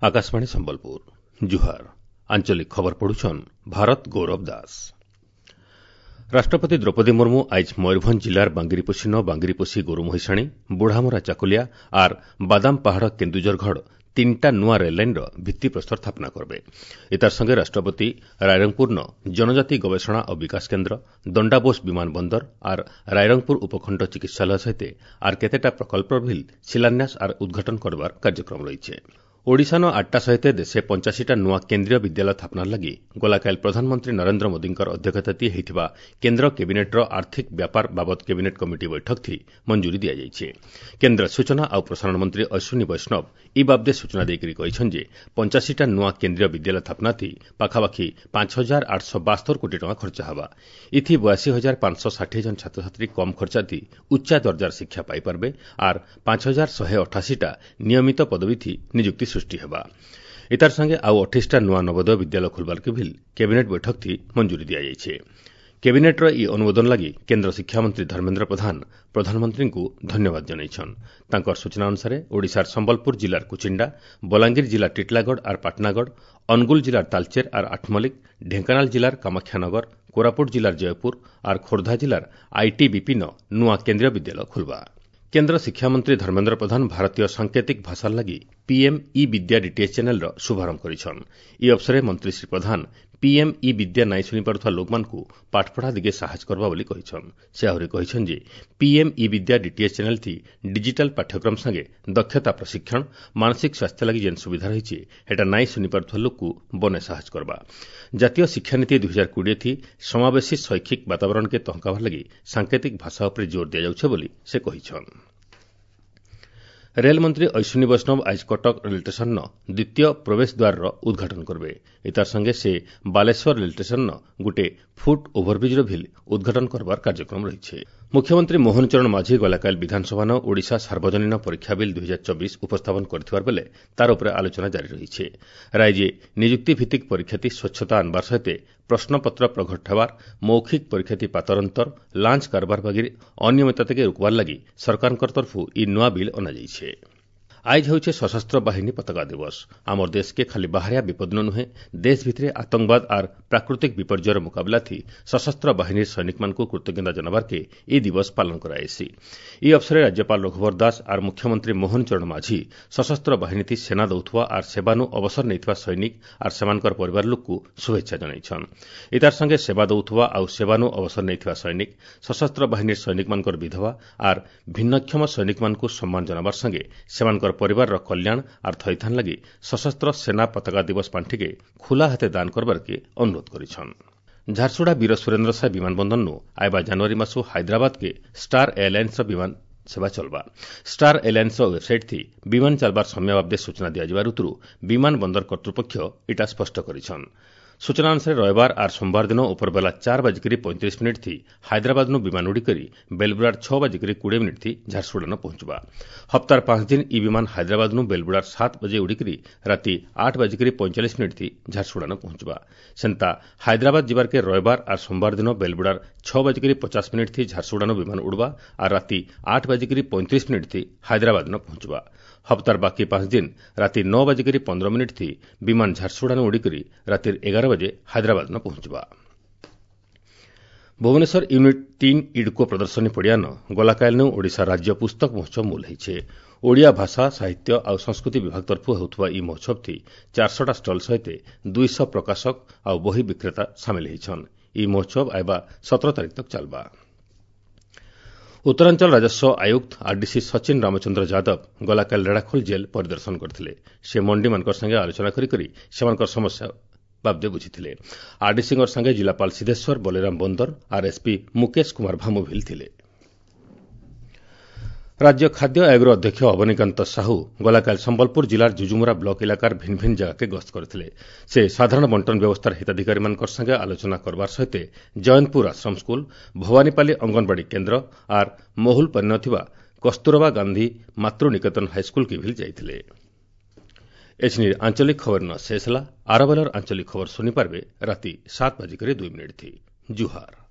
ଆକାଶବାଣୀ ସମ୍ବଲପୁର, ଜୁହାର। ଆଞ୍ଚଳିକ ଖବର ପଢୁଛନ୍ ଭାରତ ଗୌରବ ଦାସ। ରାଷ୍ଟ୍ରପତି ଦ୍ରୌପଦୀ ମୁର୍ମୁ ଆଇଜ୍ ମୟୂରଭଞ୍ଜ ଜିଲ୍ଲାର ବାଙ୍ଗିରିପୋଷିନ ବାଙ୍ଗିରିପୋଷି ଗୋରୁମହିଷାଣୀ, ବୁଢ଼ାମରା ଚାକୁଲିଆ ଆର୍ ବାଦାମ ପାହାଡ଼ କେନ୍ଦୁଝରଗଡ଼ ତିନିଟା ନୂଆ ରେଲ୍ଲାଇନ୍ର ଭିତ୍ତିପ୍ରସ୍ତର ସ୍ଥାପନା କରିବେ। ଏତାର ସଙ୍ଗେ ରାଷ୍ଟ୍ରପତି ରାଇରଙ୍ଗପୁରନ ଜନଜାତି ଗବେଷଣା ଓ ବିକାଶ କେନ୍ଦ୍ର, ଦଣ୍ଡାବୋଷ ବିମାନ ବନ୍ଦର ଆର୍ ରାଇରଙ୍ଗପୁର ଉପଖଣ୍ଡ ଚିକିତ୍ସାଳୟ ସହିତ ଆର୍ କେତେଟା ପ୍ରକଳ୍ପର ଭିଲ୍ ଶିଳାନ୍ୟାସ ଆର୍ ଉଦ୍ଘାଟନ କରବାର କାର୍ଯ୍ୟକ୍ରମ ରହିଛେ। ଓଡ଼ିଶାନ ଆଠଟା ସହିତ ଦେଶେ 85ଟା ନୂଆ କେନ୍ଦ୍ରୀୟ ବିଦ୍ୟାଳୟ ସ୍ଥାପନାର ଲାଗି ଗଲାକାଲି ପ୍ରଧାନମନ୍ତ୍ରୀ ନରେନ୍ଦ୍ର ମୋଦିଙ୍କର ଅଧ୍ୟକ୍ଷତାତି ହୋଇଥିବା କେନ୍ଦ୍ର କ୍ୟାବିନେଟ୍ର ଆର୍ଥିକ ବ୍ୟାପାର ବାବଦ କ୍ୟାବିନେଟ୍ କମିଟି ବୈଠକଥି ମଞ୍ଜୁରୀ ଦିଆଯାଇଛି। କେନ୍ଦ୍ର ସୂଚନା ଆଉ ପ୍ରସାରଣ ମନ୍ତ୍ରୀ ଅଶ୍ୱିନୀ ବୈଷ୍ଣବ ଇ ବାବଦେ ସୂଚନା ଦେଇକରି କହିଛନ୍ତି ଯେ 85ଟା ନୂଆ କେନ୍ଦ୍ରୀୟ ବିଦ୍ୟାଳୟ ସ୍ଥାପନାଥି ପାଖାପାଖି 5872 କୋଟି ଟଙ୍କା ଖର୍ଚ୍ଚ ହେବା। ଇଥି 82,560 ଜଣ ଛାତ୍ରଛାତ୍ରୀ କମ୍ ଖର୍ଚ୍ଚାଥି ଉଚ୍ଚା ଦର୍ଜାର ଶିକ୍ଷା ପାଇପାରିବେ ଆର୍ 5188ଟା ନିୟମିତ ପଦବୀଥି ନିଯୁକ୍ତି ସୃଷ୍ଟି ହେବା। ଏତାର ସାଙ୍ଗେ ଆଉ 28ଟା ନୂଆ ନବୋଦୟ ବିଦ୍ୟାଳୟ ଖୋଲବାର୍କେ ଭିଲ୍ କ୍ୟାବିନେଟ୍ ବୈଠକଥି ମଞ୍ଜୁରୀ ଦିଆଯାଇଛି। କ୍ୟାବିନେଟ୍ର ଇ ଅନୁମୋଦନ ଲାଗି କେନ୍ଦ୍ର ଶିକ୍ଷାମନ୍ତ୍ରୀ ଧର୍ମେନ୍ଦ୍ର ପ୍ରଧାନ ପ୍ରଧାନମନ୍ତ୍ରୀଙ୍କୁ ଧନ୍ୟବାଦ ଜଣାଇଛନ୍। ତାଙ୍କର ସୂଚନା ଅନୁସାରେ ଓଡ଼ିଶାର ସମ୍ବଲପୁର ଜିଲ୍ଲାର କୁଚିଣ୍ଡା, ବଲାଙ୍ଗୀର ଜିଲ୍ଲା ଟିଟଲାଗଡ଼ ଆର୍ ପାଟନାଗଡ଼, ଅନୁଗୁଳ ଜିଲ୍ଲାର ତାଲଚେର ଆର୍ ଆଠମଲ୍ଲିକ, ଢେଙ୍କାନାଳ ଜିଲ୍ଲାର କାମାକ୍ଷାନଗର, କୋରାପୁଟ ଜିଲ୍ଲାର ଜୟପୁର ଆର୍ ଖୋର୍ଦ୍ଧା ଜିଲ୍ଲାର ଆଇଟିବିପିନ ନୂଆ କେନ୍ଦ୍ରୀୟ ବିଦ୍ୟାଳୟ ଖୋଲବା। କେନ୍ଦ୍ର ଶିକ୍ଷାମନ୍ତ୍ରୀ ଧର୍ମେନ୍ଦ୍ର ପ୍ରଧାନ ଭାରତୀୟ ସାଙ୍କେତିକ ଭାଷାର ଲାଗି ପିଏମ୍ ଇ ବିଦ୍ୟା ଡିଟିଏଚ୍ ଚ୍ୟାନେଲ୍ର ଶୁଭାରମ୍ଭ କରିଛନ୍। ଇ ଅବସରେ ମନ୍ତ୍ରୀ ଶ୍ରୀ ପ୍ରଧାନ ପିଏମ୍ ଇ ବିଦ୍ୟା ନାଇଁ ଶୁଣିପାରୁଥିବା ଲୋକମାନଙ୍କୁ ପାଠପଢ଼ା ଦିଗେ ସାହାଯ୍ୟ କରବା ବୋଲି କହିଛନ୍। ସେ ଆହୁରି କହିଛନ୍ ଯେ ପିଏମ୍ ଇ ବିଦ୍ୟା ଡିଟିଏଚ୍ ଚ୍ୟାନେଲ୍ଥି ଡିଜିଟାଲ୍ ପାଠ୍ୟକ୍ରମ ସାଙ୍ଗେ ଦକ୍ଷତା ପ୍ରଶିକ୍ଷଣ, ମାନସିକ ସ୍ୱାସ୍ଥ୍ୟ ଲାଗି ଯେନ୍ ସୁବିଧା ରହିଛି, ହେଟା ନାଇଁ ଶୁଣିପାରୁଥିବା ଲୋକକୁ ବନେ ସାହାଯ୍ୟ କରବା। ଜାତୀୟ ଶିକ୍ଷାନୀତି 2020ଥି ସମାବେଶୀ ଶୈକ୍ଷିକ ବାତାବରଣକେ ତହକାବାର ଲାଗି ସାଙ୍କେତିକ ଭାଷା ଉପରେ ଜୋର ଦିଆଯାଉଛେ ବୋଲି ସେ କହିଛନ୍। ରେଲମନ୍ତ୍ରୀ ଅଶ୍ୱିନୀ ବୈଷ୍ଣବ ଆଜି କଟକ ରେଳ ଷ୍ଟେସନର ଦ୍ୱିତୀୟ ପ୍ରବେଶ ଦ୍ୱାରର ଉଦ୍ଘାଟନ କରିବେ। ଏତାର ସଙ୍ଗେ ସେ ବାଲେଶ୍ୱର ରେଳ ଷ୍ଟେସନର ଗୋଟିଏ ଫୁଟ୍ ଓଭରବ୍ରିଜ୍ର ଭିଲ୍ ଉଦ୍ଘାଟନ କରବାର କାର୍ଯ୍ୟକ୍ରମ ରହିଛି। ମୁଖ୍ୟମନ୍ତ୍ରୀ ମୋହନ ଚରଣ ମାଝୀ ଗଲାକାଲି ବିଧାନସଭାନ ଓଡ଼ିଶା ସାର୍ବଜନୀନ ପରୀକ୍ଷା ବିଲ୍ 2024 ଉପସ୍ଥାପନ କରିଥିବାର ବେଲେ ତାର ଉପରେ ଆଲୋଚନା ଜାରି ରହିଛି। ରାଜ୍ୟ ନିଯୁକ୍ତି ଭିତ୍ତିକ ପରୀକ୍ଷାତି ସ୍ୱଚ୍ଛତା ଆଣବାର ସହିତ ପ୍ରଶ୍ନପତ୍ର ପ୍ରଘଟ ହେବାର, ମୌଖିକ ପରୀକ୍ଷାତି ପାତରଅନ୍ତର, ଲାଞ୍ଚ କାରବାର ବାଗିର ଅନିୟମିତତାକେ ରୋକବାର ଲାଗି ସରକାରଙ୍କ ତରଫରୁ ଇ ନୂଆ ବିଲ୍ ଅଣାଯାଇଛି। ଆଇଜ୍ ହେଉଛି ସଶସ୍ତ୍ର ବାହିନୀ ପତାକା ଦିବସ। ଆମର ଦେଶକେ ଖାଲି ବାହାରିଆ ବିପଦ ନୁହେଁ, ଦେଶ ଭିତରେ ଆତଙ୍କବାଦ ଆର୍ ପ୍ରାକୃତିକ ବିପର୍ଯ୍ୟୟର ମୁକାବିଲାଥି ସଶସ୍ତ୍ର ବାହିନୀର ସୈନିକମାନଙ୍କୁ କୃତଜ୍ଞତା ଜଣାବାର୍କେ ଇ ଦିବସ ପାଳନ କରାଯାଇସି। ଇ ଅବସରରେ ରାଜ୍ୟପାଳ ରଘୁବର ଦାସ ଆର୍ ମୁଖ୍ୟମନ୍ତ୍ରୀ ମୋହନ ଚରଣ ମାଝୀ ସଶସ୍ତ୍ର ବାହିନୀଥି ସେନା ଦଉଥିବା ଆର୍ ସେବାନୁ ଅବସର ନେଇଥିବା ସୈନିକ ଆର୍ ସେମାନଙ୍କର ପରିବାର ଲୋକକୁ ଶୁଭେଚ୍ଛା ଜଣାଇଛନ୍। ଏତାର ସଙ୍ଗେ ସେବା ଦଉଥିବା ଆଉ ସେବାନୁ ଅବସର ନେଇଥିବା ସୈନିକ, ସଶସ୍ତ୍ର ବାହିନୀର ସୈନିକମାନଙ୍କର ବିଧବା ଆର୍ ଭିନ୍ନକ୍ଷମ ସୈନିକମାନଙ୍କୁ ସମ୍ମାନ ଜଣାବାର ସଙ୍ଗେ ସେମାନଙ୍କର ପରିବାରର କଲ୍ୟାଣ ଆର୍ ଥଇଥାନ ଲାଗି ସଶସ୍ତ୍ର ସେନା ପତାକା ଦିବସ ପାଣ୍ଠିକେ ଖୋଲା ହାତେ ଦାନ କରବାର୍କେ ଅନୁରୋଧ କରିଛନ୍। ଝାରସୁଗୁଡ଼ା ବୀର ସୁରେନ୍ଦ୍ର ସାଏ ବିମାନ ବନ୍ଦରନୁ ଆଇବା ଜାନୁଆରୀ ମାସୁ ହାଇଦ୍ରାବାଦକେ ଷ୍ଟାର ଏୟାରଲାଇନ୍ସର ବିମାନ ସେବା ଚଲବା। ଷ୍ଟାର ଏୟାରଲାଇନ୍ସର ୱେବ୍ସାଇଟ୍ ଥି ବିମାନ ଚାଲବାର ସମୟ ବାବଦେ ସୂଚନା ଦିଆଯିବାର ଉତରୁ ବିମାନ ବନ୍ଦର କର୍ତ୍ତୃପକ୍ଷ ଇଟା ସ୍ପଷ୍ଟ କରିଛନ୍। ସୂଚନା ଅନୁସାରେ ରବିବାର ଆର୍ ସୋମବାର ଦିନ ଉପରବେଲା 4:35 ଥି ହାଇଦ୍ରାବାଦନୁ ବିମାନ ଉଡ଼ିକରି ବେଲବୁଡ଼ାର 6:20 ଥି ଝାରସୁଗୁଡ଼ାନ ପହଞ୍ଚବା। ହପ୍ତାର 5 ଦିନ ଇ ବିମାନ ହାଇଦ୍ରାବାଦନୁ ବେଲବୁଡ଼ାର 7 ବଜେ ଉଡ଼ିକରି ରାତି 8:45 ଥି ଝାରସୁଗୁଡ଼ାନ ପହଞ୍ଚବା। ସେନ୍ତା ହାଇଦ୍ରାବାଦ ଯିବାର୍କେ ରବିବାର ଆର୍ ସୋମବାର ଦିନ ବେଲବୁଡ଼ାର 6:50 ଥି ଝାରସୁଗୁଡ଼ାନୁ ବିମାନ ଉଡ଼ବା ଆର୍ ରାତି 8:35 ଥି ହାଇଦ୍ରାବାଦନ ପହଞ୍ଚବା। ହପ୍ତାର ବାକି 5 ଦିନ ରାତି 9:15 ଥି ବିମାନ ଝାରସୁଗୁଡ଼ାନୁ ଉଡ଼ିକରି ରାତିର 11 ବଜେ ହାଇଦ୍ରାବାଦନ ପହଞ୍ଚବା। ଭୁବନେଶ୍ୱର ୟୁନିଟ୍ 3 ଇଡ୍କୋ ପ୍ରଦର୍ଶନୀ ପଡ଼ିଆନ ଗଲାକାଲିନୁ ଓଡ଼ିଶା ରାଜ୍ୟ ପୁସ୍ତକ ମହୋତ୍ସବ ମୂଲ ହେଇଛେ। ଓଡ଼ିଆ ଭାଷା, ସାହିତ୍ୟ ଆଉ ସଂସ୍କୃତି ବିଭାଗ ତରଫରୁ ହେଉଥିବା ଇ ମହୋତ୍ସବଥି 400ଟା ଷ୍ଟଲ୍ ସହିତ 200 ପ୍ରକାଶକ ଆଉ ବହି ବିକ୍ରେତା ସାମିଲ ହେଇଛନ୍। ଇ ମହୋତ୍ସବ ଆଇବା 17 ତାରିଖ ତକ୍ ଚାଲବା। ଉତ୍ତରାଞ୍ଚଳ ରାଜସ୍ୱ ଆୟୁକ୍ତ ଆରଡିସି ସଚିନ ରାମଚନ୍ଦ୍ର ଯାଦବ ଗଲାକାଲି ରେଢ଼ାଖୋଲ ଜେଲ୍ ପରିଦର୍ଶନ କରିଥିଲେ। ସେ ମଣ୍ଡିମାନଙ୍କ ସାଙ୍ଗେ ଆଲୋଚନା କରି ସେମାନଙ୍କର ସମସ୍ୟା ବାବଦେ ବୁଝିଥିଲେ। ଆରଡିସିଙ୍କ ସାଙ୍ଗେ ଜିଲ୍ଲାପାଳ ସିଦ୍ଧେଶ୍ୱର ବଲିରାମ ବନ୍ଦର ଆର୍ ଏସ୍ପି ମୁକେଶ କୁମାର ଭାମୁଭିଲ ଥିଲେ। ରାଜ୍ୟ ଖାଦ୍ୟ ଆୟୋଗର ଅଧ୍ୟକ୍ଷ ଅବନୀକାନ୍ତ ସାହୁ ଗଲାକାଲି ସମ୍ବଲପୁର ଜିଲ୍ଲାର ଜୁଜୁମୁରା ବ୍ଲକ ଇଲାକାର ଭିନ୍ନ ଭିନ୍ନ ଜାଗାକେ ଗସ୍ତ କରିଥିଲେ। ସେ ସାଧାରଣ ବଣ୍ଟନ ବ୍ୟବସ୍ଥାର ହିତାଧିକାରୀମାନଙ୍କ ସାଙ୍ଗେ ଆଲୋଚନା କରବାର ସହିତ ଜୟନ୍ତପୁର ଆଶ୍ରମ ସ୍କୁଲ, ଭବାନୀପାଲି ଅଙ୍ଗନବାଡ଼ି କେନ୍ଦ୍ର ଆର୍ ମହୁଲପାଲିନ ଥିବା କସ୍ତୁରବା ଗାନ୍ଧୀ ମାତୃ ନିକେତନ ହାଇସ୍କୁଲକେ ଭିଲ୍ ଯାଇଥିଲେ। ଏଛିନି ଆଞ୍ଚଳିକ ଖବର ନ ଶେଷ ହେଲା। ଆରବେଲର ଆଞ୍ଚଳିକ ଖବର ଶୁଣିପାରିବେ ରାତି 7:02 ଥି। ଜୁହାର।